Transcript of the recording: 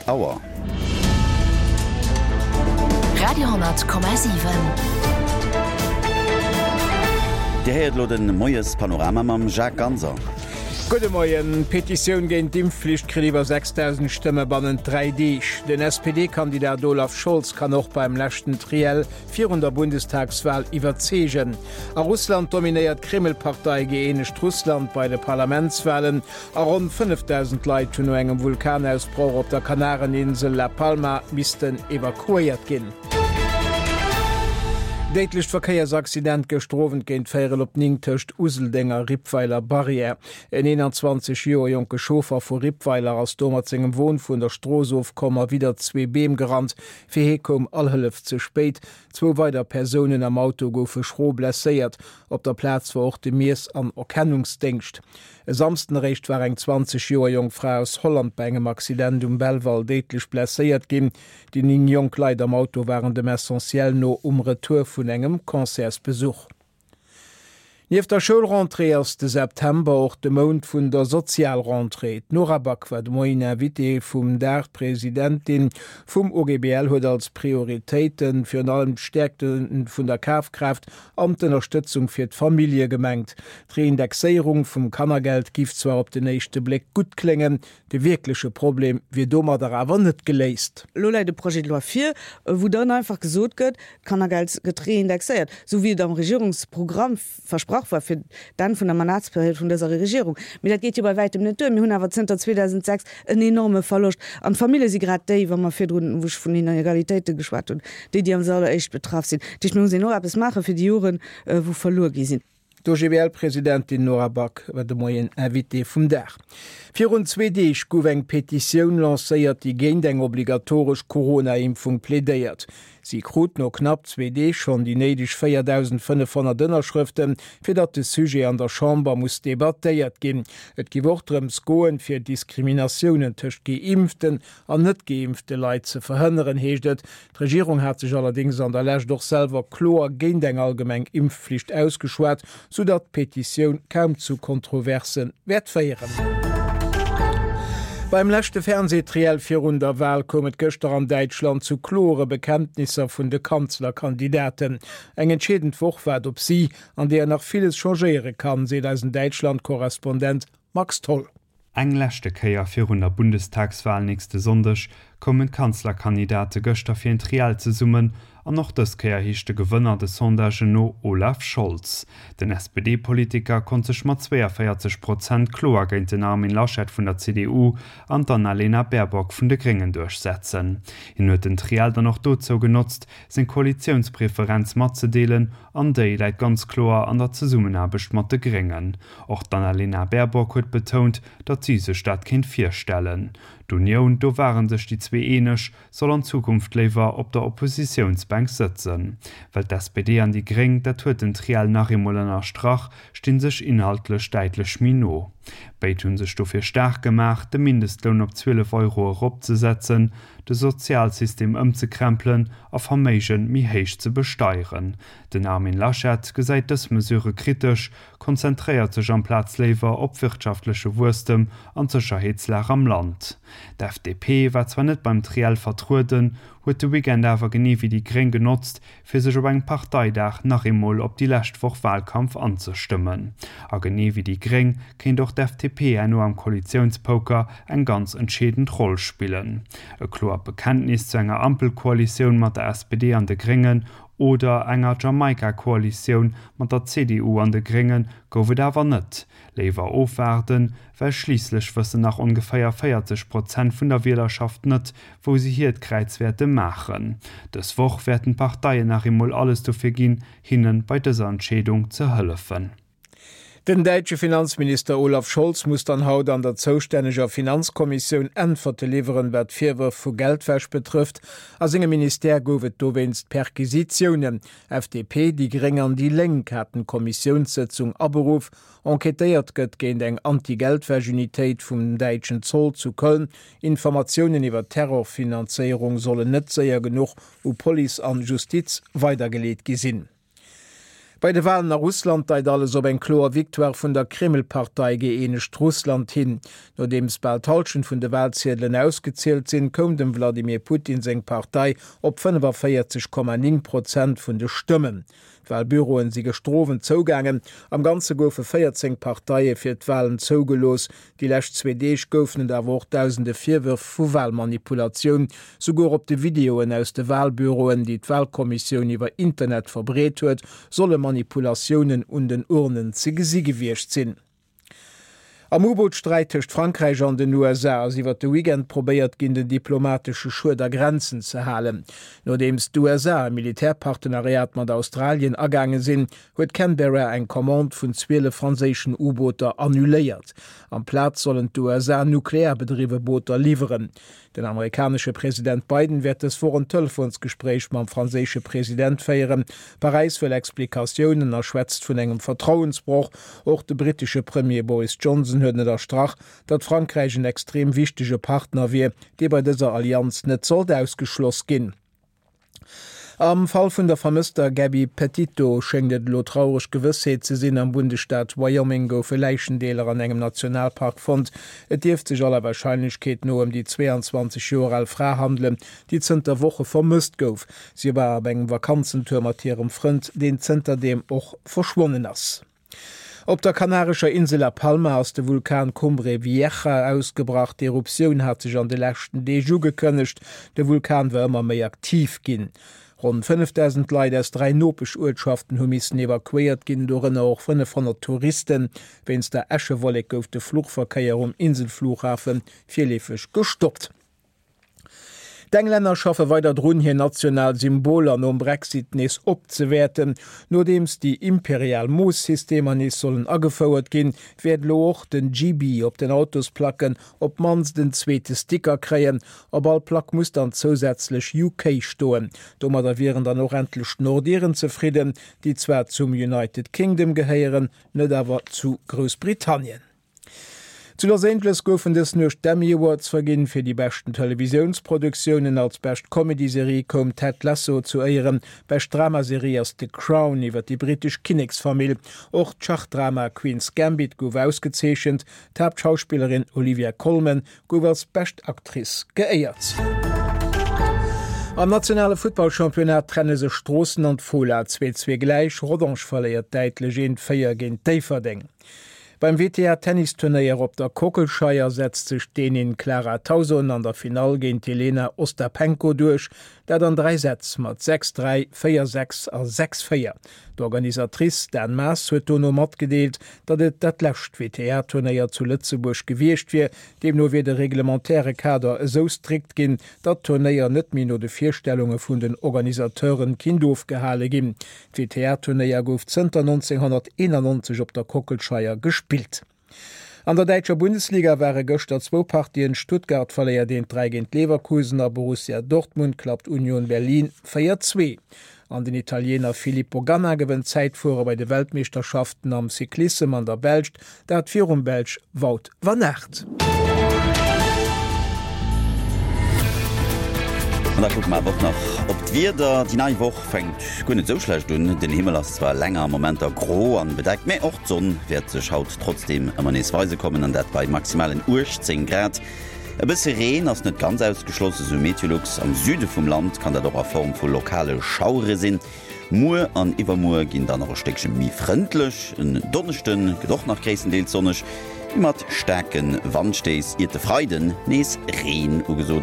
8 Auer. Radio,7. Dir héiert elo de Moiespanorama mam Jacques Ganser. Gudde Moien. D'Petitioun géint d'Impfflicht kritt iwwer 6.000 Stëmme bannent 3 Deeg. Den SPD-Kandidat Olaf Scholz kann och beim leschten Triell virun der Bundestagswal iwwerzeegen. A Russland dominéiert d'Kreml-Partei Gëeenegt Russland bei de Parlamentswalen. A ronn 5.000 Leit hunn no engem Vulkanausbroch op der Kanareninsel La Palma missten evakuéiert ginn. Déidlecht Verkéiersaccident gëschter Owend géint véierel op 9 tëscht Useldeng a Rippweiler Barrière. En 21 Joer jonke Chauffer vu Rippweiler ass do mat sengem Won vun der Strooss ofkomm a widder zwee Beem gerannt. Fir hie koum all Hëllef ze spéit. Zwou weider Persounen am Auto goufe schro blesséiert. Op der Plaz war och de Miess an Erkennungsdéngscht. E Samsden eréischt war eng 20 Joer jonk Fra aus Holland bei engem Accident um Belval déidlech blesséiert ginn. Déi 9 jonk Leit am Auto waren dem Essentiel no um Retour vun engem Concertsbesuch. Nieft der Schoulrentrée ass de September och de Mount vun der Sozialrentrée. D'Nora Back war de Moien Invitée vum Dag. D'Presidentin vum OGBL huet als Prioritéite virun allem d'Stäerkte vun der Kafkraaft an d'Ënnerstëtzung fir d'Famillje gemengt. D'Reindexéierung vum Kannergeld giff zwar op den éischte Bléck gutt kléngen, de wierkleche Problem wier domadder awer net geléist. Elo läit e Projet de loi vir, wou dann einfach gesot gëtt, d'Kannergeld gëtt reindexéiert, esou wéi et am Regierungsprogramm versprach war fir d'Enn vun der Mandatsperiod vun dëser Regierung. Mee dat geet jo bei wäitem net duer. Mir hunn awer zënter 2006 en enorme Verloscht. An d'Famillje si grad déi, wa mer virdrun, wou ech vun Inegalitéite geschwat hunn, déi, déi als alleréischt betraff sinn. Dat heescht, mir mussen och eppes maache fir déi Joren, wou verluer gi sinn. D'OGBL-Presidentin Nora Back war de Moien Invitée vum Dag. Virun zwee Deeg gouf eng Petitioun lancéiert, déi géint eng obligatoresch Corona-Impfung plädéiert. Si krut no knapp zwee Deeg schonn déi néideg 4.500 Ënnerschrëften, fir datt de Sujet an der Chamber muss debattéiert ginn. Et giff och drëms goen, fir Diskriminatiounen tëscht geimpften an net geimpfte Leit ze verhënneren, heescht et. D'Regierung hat sech allerdéngs an der Lescht och selwer kloer géint eng allgemeng Impfflicht ausgeschwat, soudatt d'Petitioun kaum zu Kontroverse wäert féieren. Beim leschte Fernseetriell virun der Wal koum et gëschter an Däitschland zu klore Bekenntnisser vun de Kanzlerkandidaten. Eng entscheedend Woch waart op si, an deeër nach villes changéiere kann, seet eisen Däitschland-Korrespondent Max Tholl. Eng leschte Kéier virun der Bundestagswal nächste Sonndeg koumen d'Kanzlerkandidate gëschter fir en Triell zesummen an och dës Kéier heescht de Gewënner de Sondagen no Olaf Scholz. Den SPD-Politiker konnt sech mat 42 Prozent kloer géint den Armin Laschet vun der CDU an d'Annalena Baerbock vun de Gréngen duerchsetzen. Hien huet den Triell dann och dozou genotzt, seng Koalitiounspreferenz matzedeelen an déi läit ganz kloer an der Zesummenaarbecht mat de Gréngen. Och d'Annalena Baerbock huet betount, datt si sech dat kéint virstellen. D'Unioun, do ware sech déi zwee eeneg, soll an Zukunft léiwer op der Oppositiounsbänk sëtzen. Well d'SPD an déi Gréng, dat huet den Triell nach eemol ënnerstrach, sti sech inhaltlech däitlech méi no. Béid hu sech dofir staark gemaach, de Mindestloun op 12 Euro eropzesetzen, de Sozialsystem ëmzekrempelen a Verméige méi héich ze besteieren. Den Armin Laschet gesäit dës Mesure kritesch, konzentréiert sech amplaz léiwer op wirtschaftleche Wuesstem an d'Sécherheetslag am Land. D'FDP war zwar net beim Triell vertrueden, huet de Weekend awer genee wéi déi Gréng genotzt, fir sech op engem Parteidag nach eemol op déi lescht Woch Walkampf anzestëmmen. A genee wéi déi Gréng kéint och d'FDP herno am Koalitiounspoker eng ganz entscheedend Roll spillen. E kloert Bekenntnis zu enger Ampelkoalitioun mat der SPD an de Gréngen oder enger Jamaika-Koalitioun mat der CDU an de Grénge gouf et awer net. Léiwer ofwaarden, well schliisslech wëssen nach ongeféier 40 Prozent vun der Wielerschaft net, wou se hiert Kräiz wäerte maachen. Dës Woch wäerten d'Parteien nach eemol alles dofir ginn, hinne bei dëser Entscheedung ze hëllefen. Den däitsche Finanzminister Olaf Scholz muss dann haut an der zoustänneger Finanzkommissioun Äntwerte liwweren, wat d'Virwërf vu Geldwäsch betrëfft. A sengem Ministère gouf et dowéinst Perquisitiounen. FDP, déi Gréng an déi Lénk haten d'Kommissiounssëtzung aberuff. Enquêtéiert gëtt géint eng Anti-Geldwäsch-Unitéit vum däitschen Zoll zu Köln. Informatiounen iwwer Terrorfinanzéierung sollen net séier genuch u Police an Justiz weidergeleet gi sinn. Bei de Walen a Russland deit alles op eng kloer Victoire vun der Kreml-Partei Gëeenegt Russland hin. Nodeems bal d'Hallschent vun de Walziedelen ausgezielt sinn, koum dem Wladimir Putin seng Partei op 45,9 Prozent vun de Stëmmen. D'Walbüroen si gëschter Owend zougaangen. Am Ganze goufe 14 Parteie fir d'Walen zougelooss. Déi lescht zwee Deeg goufen et awer och dausende Virwërf vu Walmanipulatioun. Souguer op de Videoen aus de Walbüroen, déi d'Walkommissioun iwwer Internet verbreet huet, solle Manipulatiounen un den Urnen ze gesi gewiescht sinn. Am U-Boot-Sträit tëscht Frankräich an den USA ass iwwer de Weekend probéiert ginn, den diplomatesche Schued a Grenzen ze halen. Nodeems d'USA e Militärpartenariat mat Australien agaange sinn, huet Canberra eng Commande vun 12 franséischen U-Booter annuléiert. Amplaz sollen d'USA nuklearbedriwwe Booter liwweren. Den amerikanesche President Biden wäert dës Woch en Telefonsgespréich mam franséische President féieren. Paräis wëll Explikatiounen a schwätzt vun engem Vertrauensbroch. Och de brittesche Premier Boris Johnson huet ënnerstrach, datt Frankräich en extrem wichtege Partner wier, dee bei dëser Allianz net sollt ausgeschloss ginn. Am Fall vun der vermësster Gabby Petito schéngt et elo traureg Gewëssheet ze sinn, Am Bundesstaat Wyoming goufe Läichendeeler an engem Nationalpark fonnt. Et dierft sech aller Warscheinlechkeet no ëm déi 22 Joer al Fra handelen, déi zënter Woche vermësst gouf. Si war op engem Vakanzentour mat hirem Frënd, deen zënterdeem och verschwonnen ass. Op der kanarescher Insel La Palma ass de Vulkan Cumbre Vieja ausgebrach. D'Eruptioun hat sech an de leschten Deeg ugekënnegt. De Vulkan war ëmmer méi aktiv ginn. Ronn 5.000 Leit aus 3 Nopesch-Uertschaften hu missen evakuéiert ginn, dorënner och 500 Touristen. Wéinst der Äschewollek gouf de Fluchverkéier um Inselflughafe virleefeg gestoppt. D'Englänner schaffe weider drun, hir national Symboler nom Brexit nees opzewäerten. Nodeems déi imperial Mooss-Systemer nees sollen agefouert ginn, wäert elo och den GB op den Autosplacken op d'mannst en zweete Sticker kréien. Op all Plack muss dann zousätzlech UK stoen. Domadder wieren dann och endlech d'Nordiren zefridden, déi zwar zum United Kingdom gehéieren, net awer zu Groussbritannien. Zu Los Angeles goufen dës Nuecht d'Emmy Awards verginn. Fir déi beschten Televisiounsproduktiounen als bescht Comedy-Serie koum Ted Lasso zu Éieren. Bescht Dramaserie ass The Crown iwwer déi brittesch Kinneksfamill. Och d'Schachdrama Queen's Gambit gouf ausgezeechent. D'Haaptschauspillerin Olivia Colman gouf als bescht Actrice geéiert. Am nationale Futtballchampionnat trenne sech Stroossen an d'Fola 2, 2 gläich. Rodange verléiert däitlech 1, 4 géint Déifferdeng. Beim WTA-Tennisturnéier op der Kockelscheier setzt sech d'Dänin Clara Tauson an der Finall géint d'Jelena Ostapenko duerch, dat an 3 Sätz mat 6, 3, 4, 6 a 6, 4. D'Organisatrice Dan Maas huet dono matgedeelt, datt et dat lescht WTA-Turnéier zu Lëtzebuerg gewiescht wier. Deemno wier de reglementaire Kader esou strikt ginn, datt d'Turnéier net méi no de Virstellunge vun den Organisateuren kinnt ofgehale ginn. D'WTA-Turnéier gouf zënter 1991 op der Kockelscheier gespillt. An der däitscher Bundesliga ware gëschter zwou Partien, Stuttgart verléiert 1, 3 géint Leverkusen a Borussia Dortmund klappt Union Berlin 4, 2. An den Italiener Filippo Ganna gewënnt d'Zäitfuere bei de Weltmeeschterschaften am Cyclissem an der Belscht, dat virum Belsch Wout van Aert. An da kucke mer awer och nach op d'Wieder. Déi nei Woch fänkt guer net esou schlecht un. Den Himmel ass zwar länger Momenter gro an bedeckt, mä och d'Sonn wäert sech haut trotzdeem ëmmer nees weise kommen, an dat bei maximalen 18 Grad. E bësse Reen ass net ganz ausgeschloss, esou Meteolux. Am Süde vum Land kann dat och a Form vu lokale Schauere sinn. Muer an iwwermuer ginn dann nach e Stéckche méi frëndlech. En Donneschde gëtt och nach gréisstendeels sonneg, mee mat staarke Wandstéiss, iert de Freiden nees Reen ugesot.